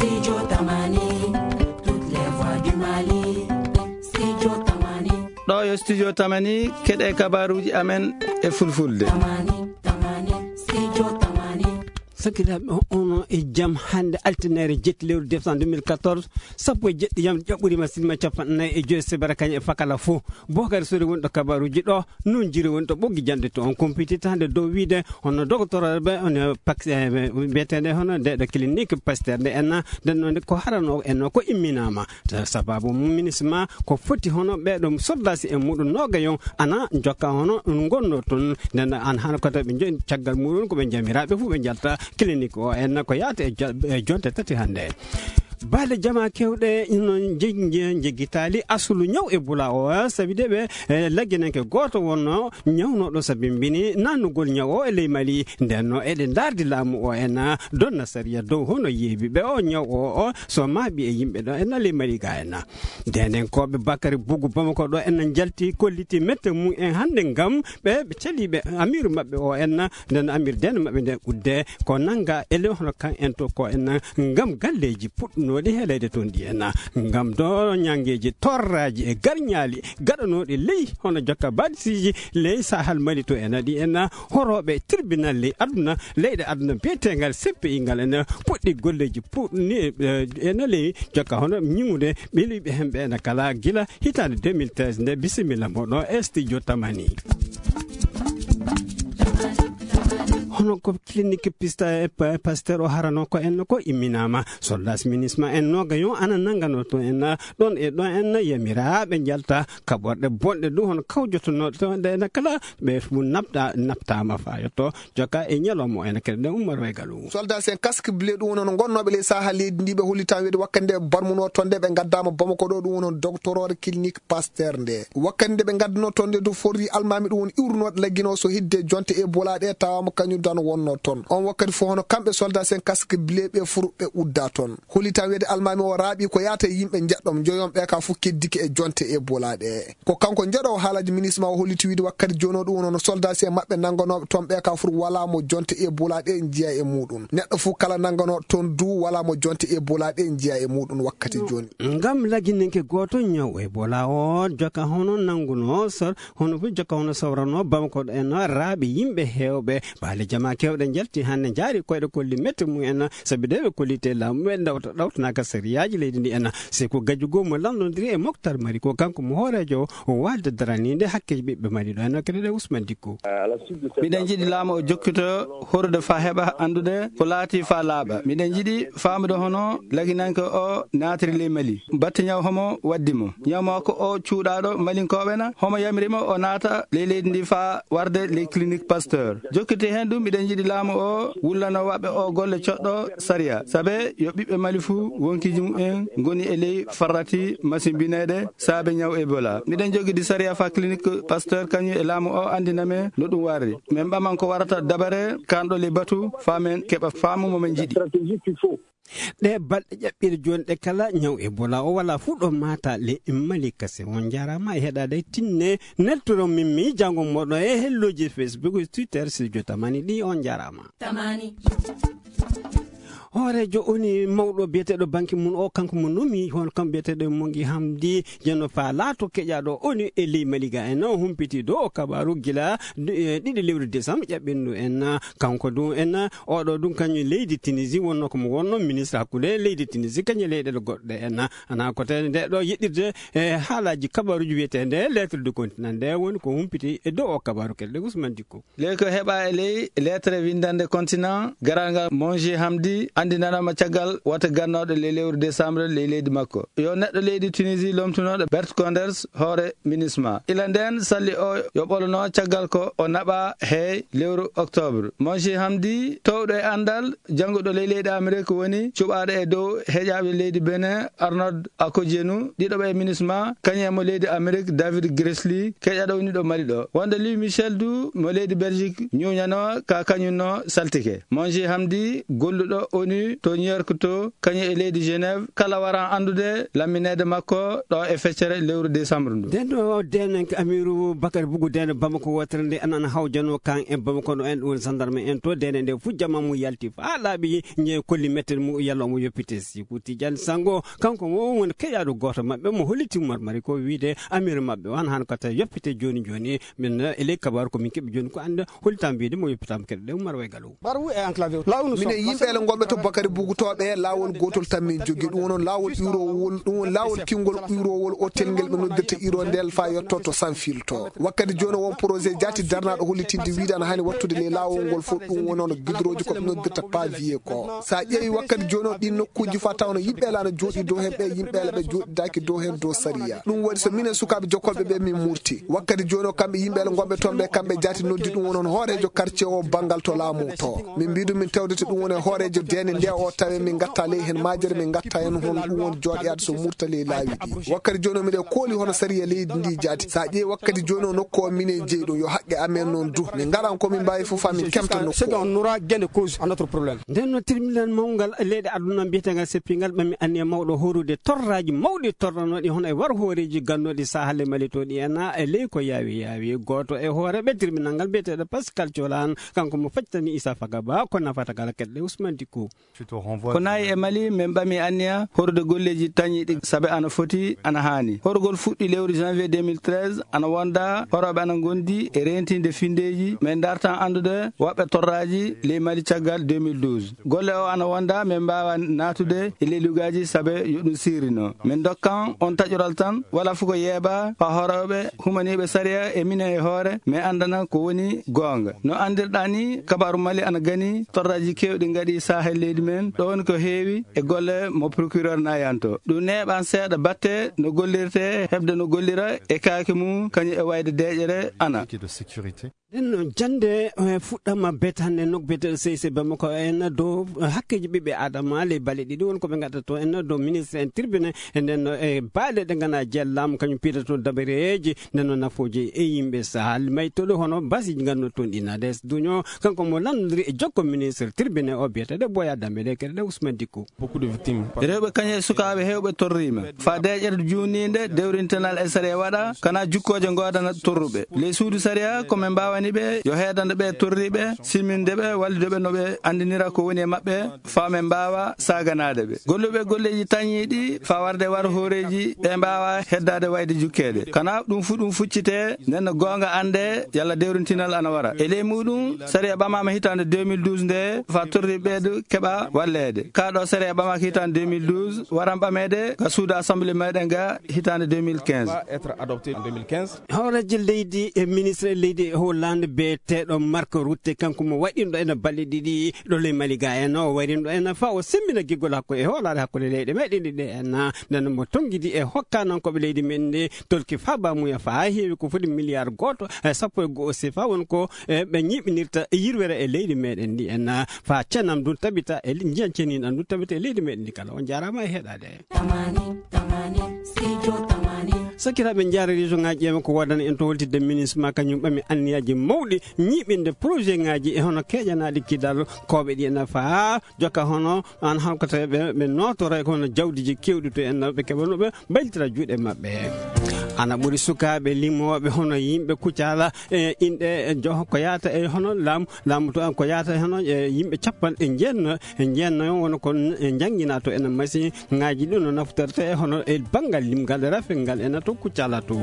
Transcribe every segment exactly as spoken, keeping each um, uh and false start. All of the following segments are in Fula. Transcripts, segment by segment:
Studio Tamani, toutes les voix du Mali. Studio Tamani. Ɗo yo Studio Tamani, keɗe kabaruuji amen e fulfulde. Tamani, Tamani, Studio Tamani. Sakiraaɓe, ono e jam hannde altinaare jetti lewru décembre deux mille quatorze, sappo e jeɗɗi yam ƴaɓɓurii ma sinima capanɗe nayi e joy sebere kañum e fakala fof. Bookari Sori woni ɗo kabaruuji ɗo, noon jiri woni ɗo ɓoggi jannde to on kumpiti tande dow wiide hono dogotorooɓe, hono pak-, eh, mbiyeteende hono nde ɗo clinique Pasteur nde enna, nden noon ko harano enno ko imminaama. Sababu mum minisma ko foti hono ɓeeɗo soldasi e muɗum noogayon ana jokka hono ɗum ngonno toon. Nden an hano ko tawi ɓe njoɗi caggal muɗum ko ɓe jamiraaɓe fof ɓe njalta clinique o enna ko yaata e ja-, e jonte tati hannde. Baale jama kewɗe no jeggi-, jeggitaali asulu ñaw Ebola o, sabi de ɓe, eh, lagginanke gooto wonno ñawnooɗo sabimbini nannugol ñaw o e ley Mali. Nden no eɗe ndaardi laamu o en, ah, donna sariya dow hono yeebi ɓe o ñaw o, o so maaɓi e yimɓe ɗo en ley Mali ga en. Ndenenkooɓe Bakary Bougou Bamako ɗo en njalti kolliti mette mum en hannde ngam ɓe, ɓe caliiɓe amiiru maɓɓe o en, nden amiiru dene maɓɓe nde udde ko nannga ele hono kan en to ko en ngam galleeji puɗɗunooɗi heeleede toon ɗi en, ngam do ñanngeeji torraaji e garñaali gaɗanooɗi ley hono jokka baadisiiji ley Sahel Mali to en ɗi en horooɓe tribunal ley aduna, leyɗe aduna biyetengal C P I ngal en puɗɗi golleeji puɗɗi, eh, en ley jokka hono ñiŋude ɓeluɓe hemɓe ene kala gila hitaande deux mille treize nde. Bisimilla moɗo e studio Tamani. Hono ko clinique pista e pa-, Pasteur o harano ko en ko imminama. Soldat minisma en noga yo ana nangano to en ɗon e ɗon en yamira ɓe njalta kaɓorɗe bonɗe ɗum hono kawjotonoɗe to nde ene kala ɓe fu napta, naptama fa yotto. Jokka e ñalawma o ene kadi ɗen Ummar Waygalu. Soldat en casque bleu ɗum woni hono gonnooɓe ley saha leydi ndi ɓe hollitan wiyde wakkati nde barmuno toon nde ɓe ngaddaama Bamako ɗo ɗum woni hono doctorore clinique Pasteur nde. Wakkati nde ɓe ngadduno toon nde to forri almaami ɗum woni iwrunooɓe laggino so hidde jonte Ebola ɗe tawaama kañum dan wonno toon. On wakkati fof hono kamɓe soldat en casque bleu ɓe furu ɓe udda toon. Hollitan wiyde almaami o raaɓi ko yaata e yimɓe njeɗɗom njoyon ɓe ka fof keddike e jonte Ebola ɗe. Ko kanko njeɗoowo haalaji minisma o holliti wiide wakkati jooni o ɗum woni hono soldat en maɓɓe nannganooɓe toon ɓe ka fur wala mo jonte Ebola ɗe njiya e muɗum. Neɗɗo fof kala nannganooɗo toon du wala mo jonte Ebola ɗe njiya e muɗum wakkati jooni. Ngam lagginanke gooto ñaw Ebola o jokka hono nannguno sor-, hono fof jokka hono sawrano Bamako en raaɓe yimɓe heewɓe. Baale jama kewɗe njalti hannde njaari koyɗe kolli mette mum en sabi de ɓe kollite laamu ɓe ɗawta-, ɗawtanaka sariyaaji leydi ndi en. Seko Gajjo goo mo lanndondiri e Moktar Mari ko kanko mo hooreejo o waalde daraniinde hakkeeji ɓiɓɓe Mali ɗo en kadi ɗe Ousmane Dicko. Miɗen njiɗi laamu o jokkito horude fa heɓa anndude ko laati fa laaɓa. Miɗen njiɗi faamude hono laginanke o naatiri ley Mali. Batte ñaw homo waddi mo. Ñaw makko o cuuɗaaɗo Malinkooɓe na homo yamiri mo o naata ley leydi ndi fa warde ley clinique Pasteur. Jokkiti heen ɗum, miɗen njiɗi laamu o wullano waɓɓe o golle coɗɗo sariya. Sabe yo ɓiɓɓe Mali fuu wonkiji mumen ngoni e ley farrati masimbineede saabe ñaw Ebola. Miɗen jogidi sariya fa clinique Pasteur kañum e laamu o anndina men no ɗum warri. Men ɓaman ko warata dabare kanɗo ley batu fa men keɓa faamu mo men njiɗi. Ɗe balɗe ƴaɓɓiɗe jooni ɗe kala ñaw Ebola o wala fuu ɗo mata le Mali kase. On njaaraama e heɗaade tinne neltoron min mi janngo moɗo e helloji Facebook, Twitter, Studio Tamani ɗi. On njaaraama. Tamani. Hooreejo O N U mawɗo biyeteeɗo banque mum o kanko mo nomi hono kam biyeteeɗo Mongi Hamdi Jeno fa laato keƴaaɗo O N U e ley Mali ga en humpiti dow o kabaaru gila du-, e ɗiɗi lewru décembre ƴaɓɓindu en. Kanko du en oɗo ɗum kañum leydi Tunisie wonno ko mo wonno ministre hakkunde leydi Tunisie kañum e leyɗeele goɗɗe en. Ana ko tawi nde ɗo yeɗɗirde e haalaaji kabaaruji wiyeteende lettre du continent nde woni ko humpiti e dow o kabaaru kelle Ousmane Dicko. Ley ko heɓa e ley lettre windande continent garal ngal Mongi Hamdi anndinanama caggal wata gannooɗo ley lewru décembre ley leydi makko. Yo neɗɗo leydi Tunisie lomtunoɗo Bert Koenders hoore minisma. Ila nden salli o yo ɓolono caggal ko o naɓa hey lewru octobre. Mongi Hamdi towɗo e anndal jannguɗo ley leydi Amerique woni cuɓaaɗo e dow heƴaaɓe leydi Benin Arnold Akodienu, ɗiɗo ɓe minisma, kañum e mo leydi Amerique David Gressly, keƴaɗo woni ɗo Mali ɗo. Wonde Louis Michel du mo leydi Belgique ñuñano ka kañum no saltike. Mongi Hamdi golluɗo O N U to New York to, kañum e leydi Genève, kala waran anndude lammineede makko ɗo e feccere lewru décembre ndu. Nden ɗo deenanke Amiru Bakari Bugu Deene Bamako wootere nde, an, an hawjano kan e Bamako ɗo en, ɗum woni gendarme en to, deene nde fu jama mum yalti faa laaɓi, ñe kolli mette mum yalla omo yoppite. Siku Tijani Sango, kanko mo woni keƴaaɗo gooto maɓɓe mo holliti marmari ko wiide Amiru maɓɓe o, an han kata yoppite jooni jooni. Min, eh, e ley kabaaru ko min keɓi jooni ko annde hollitaa mbiide mo yoppitaama keɗe ɗe Umar Way Galo. Minen yimɓe ele ngonɓe to Bakari Bugu to ɓe, laawol gootol tan min jogi. Ɗum wonon laawol iwrowol, ɗum won laawol kingol iwrowol otel ngel ɓe noddirta iwro ndel faa yotto to Sanfil to. Wakkati jooni won projet jaati darnaaɗo hollitinde wiide ana hani wattude ley laawol ngol fof, ɗum wonono gidrooji ko ɓe noddirta pavier ko. So a ƴeewi wakkati jooni o, ɗin nokkuuji faa tawno yimɓe ele ana jooɗi dow heen ɓe, yimɓe ele ɓe jooɗidaaki dow heen dow sariya. Ɗum waɗi so minen sukaaɓe jokkolɓe ɓe min murti. Wakkati jooni o kamɓe yimɓe ele ngonɓe toon ɓe, kamɓe jaati noddi ɗum wonon hooreejo quartier o banngal to laamu to. Min mbiɗum min tewdete ɗum woni hooreejo deene nde o tawe min ngatta ley heen maajere, min ngatta heen hon ɗum woni jooɗoyaade so murta ley laawi ɗi. Wakkati jooni o miɗe kooli hono sariya leydi ndi jaati. So a ƴeewi wakkati jooni o nokku o minen jeyi ɗum yo haqqe amen noon du. Min ngaran ko min mbaawi fof faa min kemta nokku o. Nden no tribunal mawngal leyɗe aduna mbiyeteengal seppingal ɓami anniya mawɗo horude torraaji mawɗi torranooɗi hono e war hooreeji gannooɗi saahalle malitooɗi en e ley ko yaawi yaawi. Gooto e hooreeɓe tribunal ngal biyeteeɗo Pascal Colan, kanko mo faccitani Issa Fagaba ko nafata kala keɗɗe Ousmane Dicko. Ko nayi e Mali, min ɓami anniya horude golleeji tañiiɗi sabe ana foti, ana haani. Horugol fuɗɗi lewru janvier deux mille treize, ana wonda horooɓe ana ngondi e reentinde findeeji, min dartan anndude woɓɓe torraaji ley Mali caggal deux mille douze. Golle o ana wonda, min mbaawa naatude e ley lugaaji sabe yo ɗum siirino. Min dokkan on taƴoral tan, wala fuko yeeba, faa horooɓe humaniiɓe sariya e minen e hoore, min anndana ko woni goonga. No anndirɗaa ni, kabaaru Mali ana gani, torraaji keewɗi ngaɗi saahel leydi men, ɗo woni ko heewi e golle mo procureur nayanto. Ɗum neeɓan seeɗa batte no gollirte, heɓde no gollira e kaake mum, kañum e wayde deeƴere ana. Nden noon, jannde, eh, fuɗɗama betande nokku biyeteeɗo C I C Bamako en dow, eh, hakkeeji ɓiɓɓe Adama ley balɗe ɗiɗi woni ko ɓe ngaɗata to en dow ministre en tribune. E nden no, e baɗe ɗe ngana jellama kañum piida toon dabareeji, nden no nafooji e yimɓe sahal maytoɗo hono basiiji nganno toon ɗi nades duño. Kanko mo lanndiri e jokko ministre tribune o biyeteeɗo Boya Dambe ɗe keɗe ɗe Ousmane Dicko. Rewɓe kañum e sukaaɓe heewɓe torriima. Faa deeƴere juuniinde, dewrintanal e sariya waɗa, kana jukkooje ngoodana torruɓe. Ley suudu sariya, ko min mbaawani ɓe, yo heedande ɓe torriiɓe, simminde ɓe, wallide ɓe no ɓe anndinira ko woni e maɓɓe, faa min mbaawa saaganaade ɓe. Golluɓe golleeji tañiiɗi, faa warde war hooreeji, ɓe mbaawa heddaade wayde jukkeede. Kana ɗum fu ɗum fuccitee, nden no goonga annde, yalla dewrintinal ana wara. E ley muuɗum, sariya ɓamaama hitaande deux mille douze nde, faa torriiɓe ɓeeɗo keɓa walleede. Kaa ɗo sariya ɓamaaka hitaande deux mille douze, waran ɓameede ka suudu assemblée meɗen ga hitaande deux mille quinze. Hooreejo leydi e ministre leydi e Hollande biyeteeɗo Mark Rutte, kanko mo waɗinɗo ena balɗe ɗiɗi ɗo ley Mali ga en, o waɗinɗo ena faa o semmina giggol hakko e hoolaare hakkunde leyɗe meɗen ɗiɗi en, nden mo tonngidi e hokkaanankoɓe leydi men ndi tolki faa baamuya faa heewi ko foti miliyar gooto e sappo e go'o sefa won ko, e, ɓe ñiiɓinirta e yirwere e leydi meɗen ndi en, faa cenam ndun tabita e li-, njiyan ceniiɗan ndun tabita e leydi meɗen ndi kala. On jaaraama e heɗaade. Tamani, tamani, studio tamani. Sakiraaɓe, njaara région ŋaaji ƴeewa ko woodani en to holtidde ministre ma kañum ɓami anniyaaji mawɗi ñiiɓinde projet ŋaaji e hono keeƴanaaɗi kidal kooɓe ɗi en faa jokka hono an halkata ɓe, ɓe nootora e ko hono jawdiiji keewɗi to en ɓe keɓa no ɓe mbaylitira juuɗe maɓɓe. Ana ɓuri sukaaɓe limooɓe hono yimɓe Kucala e inɗe e jo-, ko yaata e hono laamu, laamu to an ko yaata e hono e yimɓe capanɗe jeenayo, e jeenayo woni ko n-, e njannginaa to ena masi ŋaaji ɗi no naftorte e hono e banngal limgal e rafel ngal ena to Kucala to.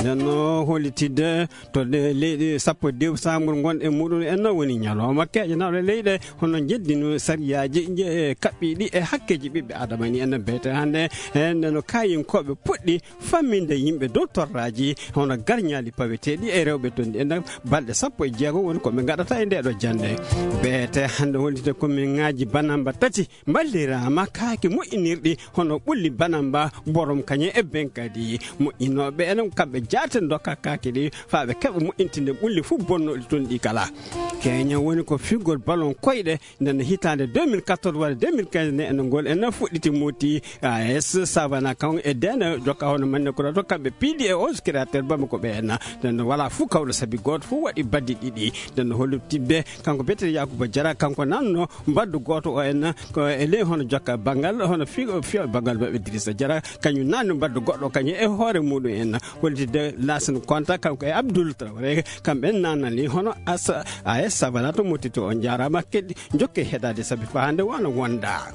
Nden no hollitidde to de-, leyɗe sappo e deux sambur ngon e muɗum en no woni ñalawma keeƴanaaɗo leyɗe hono njeddino sariyaaji je-, e kaɓɓiiɗi e hakkeeji ɓiɓɓe Adama ni en bete hannde. E nden no kaayinkooɓe puɗɗi famminde yimɓe dow torraaji hono garñaali paweteeɗi e rewɓe tonɗi en balɗe sappo e jeego woni ko ɓe ngaɗata e nde ɗo jannde. Beete hannde hollitde ko min ŋaaji banamba tati mballiraama kaake moƴƴinirɗi hono ɓulli banamba, borom kañe e ben kadi moƴƴinooɓe enen kamɓe jaaten dokka kaake ɗi faa ɓe keɓa moƴƴintinde ɓulli fof bonnooɗi toon ɗi kala. Keña woni ko figol ballon koyɗe. Nden no hitaande deux mille quatorze walla deux mille quinze nde, enen ngol enen fuɗɗiti moti. AS Savana kan e dene jokka hono manne kurato kamɓe piidi e onze créateur bamako ɓe enna. Nden no wala fuu kawɗo sabi gooto fof waɗi baddi ɗiɗi. Nden no hollu tibbe kanko betere Yakuba Jara, kanko nanno mbaddu gooto o enna ko e ley hono jokka banngal hono fi fi banngal maɓɓe Dirisa Jara, kañum nanno mbaddu goɗɗo kañum e hoore muɗum enna. Hollitde Lasin Konta kanko e Abdoul Traoré, kamɓe nanani hono AS Savana to mottito. On njaaraama, keɗi jokke heɗaade sabi faa hannde wano wonda.